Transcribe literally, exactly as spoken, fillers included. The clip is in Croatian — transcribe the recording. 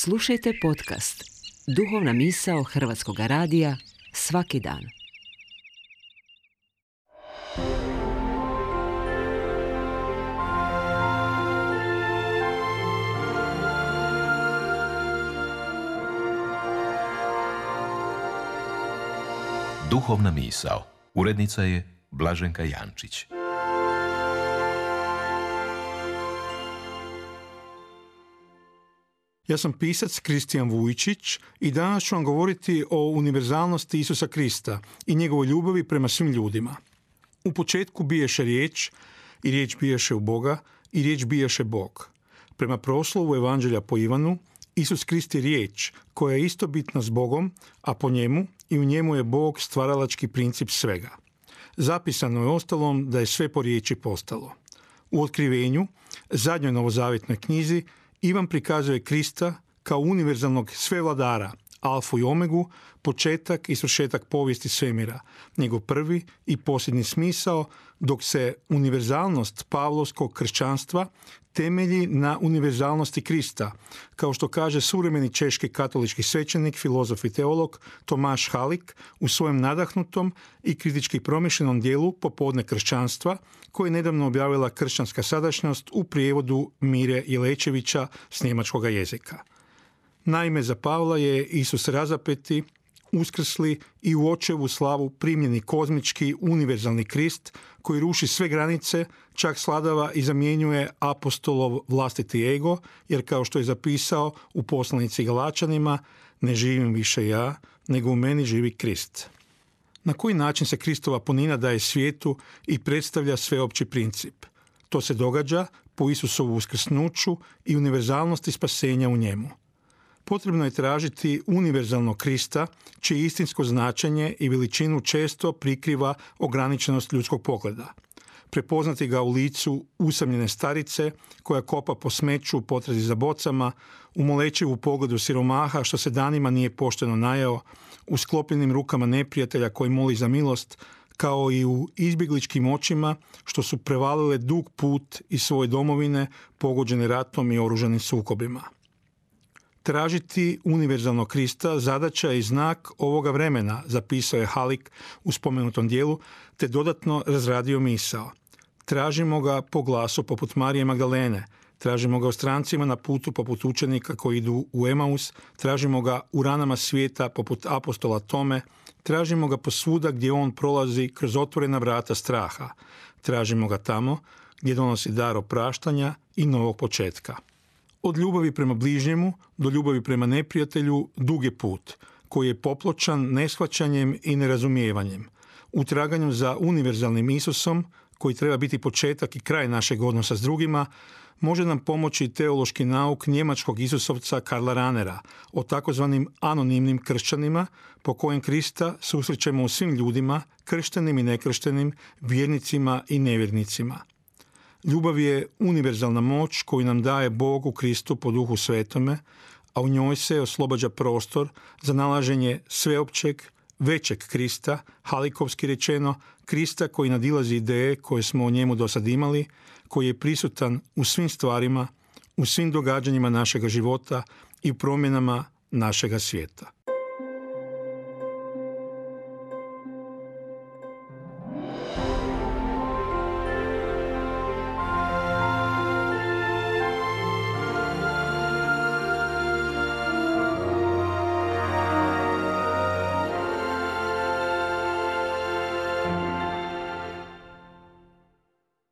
Slušajte podcast Duhovna misao Hrvatskog radija svaki dan. Duhovna misao. Urednica je Blaženka Jančić. Ja sam pisac Kristijan Vujčić i danas ću vam govoriti o univerzalnosti Isusa Krista i njegovoj ljubavi prema svim ljudima. U početku biješe riječ i riječ biješe u Boga i riječ biješe Bog. Prema proslovu Evanđelja po Ivanu, Isus Krist je riječ koja je istobitna s Bogom, a po njemu i u njemu je Bog stvaralački princip svega. Zapisano je ostalom da je sve po riječi postalo. U Otkrivenju, zadnjoj novozavjetnoj knjizi, Ivan prikazuje Krista kao univerzalnog svevladara, alfu i omegu, početak i svršetak povijesti svemira, njegov prvi i posljednji smisao, dok se univerzalnost pavlovskog kršćanstva temelji na univerzalnosti Krista, kao što kaže suvremeni češki katolički svećenik, filozof i teolog Tomaš Halik u svojem nadahnutom i kritički promišljenom dijelu Popodne kršćanstva, koje je nedavno objavila Kršćanska sadašnjost u prijevodu Mire Jelečevića s njemačkog jezika. Naime, za Pavla je Isus razapeti, uskrsli i u očevu slavu primljeni kozmički univerzalni Krist koji ruši sve granice, čak sladava i zamjenjuje apostolov vlastiti ego, jer kao što je zapisao u poslanici Galačanima, ne živim više ja, nego u meni živi Krist. Na koji način se Kristova punina daje svijetu i predstavlja sveopći princip? To se događa po Isusovu uskrsnuću i univerzalnosti spasenja u njemu. Potrebno je tražiti univerzalnog Krista, čije istinsko značenje i veličinu često prikriva ograničenost ljudskog pogleda. Prepoznati ga u licu usamljene starice koja kopa po smeću u potrazi za bocama, u molečivu pogledu siromaha što se danima nije pošteno najeo, u sklopljenim rukama neprijatelja koji moli za milost, kao i u izbjegličkim očima što su prevalile dug put iz svoje domovine pogođene ratom i oružanim sukobima. Tražiti univerzalnog Krista zadaća je i znak ovoga vremena, zapisao je Halik u spomenutom dijelu, te dodatno razradio misao. Tražimo ga po glasu poput Marije Magdalene, tražimo ga u strancima na putu poput učenika koji idu u Emaus, tražimo ga u ranama svijeta poput apostola Tome, tražimo ga posvuda gdje on prolazi kroz otvorena vrata straha, tražimo ga tamo gdje donosi dar opraštanja i novog početka. Od ljubavi prema bližnjemu do ljubavi prema neprijatelju dug je put, koji je popločan neshvaćanjem i nerazumijevanjem. U traganju za univerzalnim Isusom, koji treba biti početak i kraj našeg odnosa s drugima, može nam pomoći teološki nauk njemačkog Isusovca Karla Ranera o takozvanim anonimnim kršćanima, po kojem Krista susrećemo u svim ljudima, krštenim i nekrštenim, vjernicima i nevjernicima. Ljubav je univerzalna moć koju nam daje Bog u Kristu po Duhu Svetome, a u njoj se oslobađa prostor za nalaženje sveopćeg, većeg Krista, halikovski rečeno, Krista koji nadilazi ideje koje smo o njemu do sad imali, koji je prisutan u svim stvarima, u svim događanjima našega života i u promjenama našega svijeta.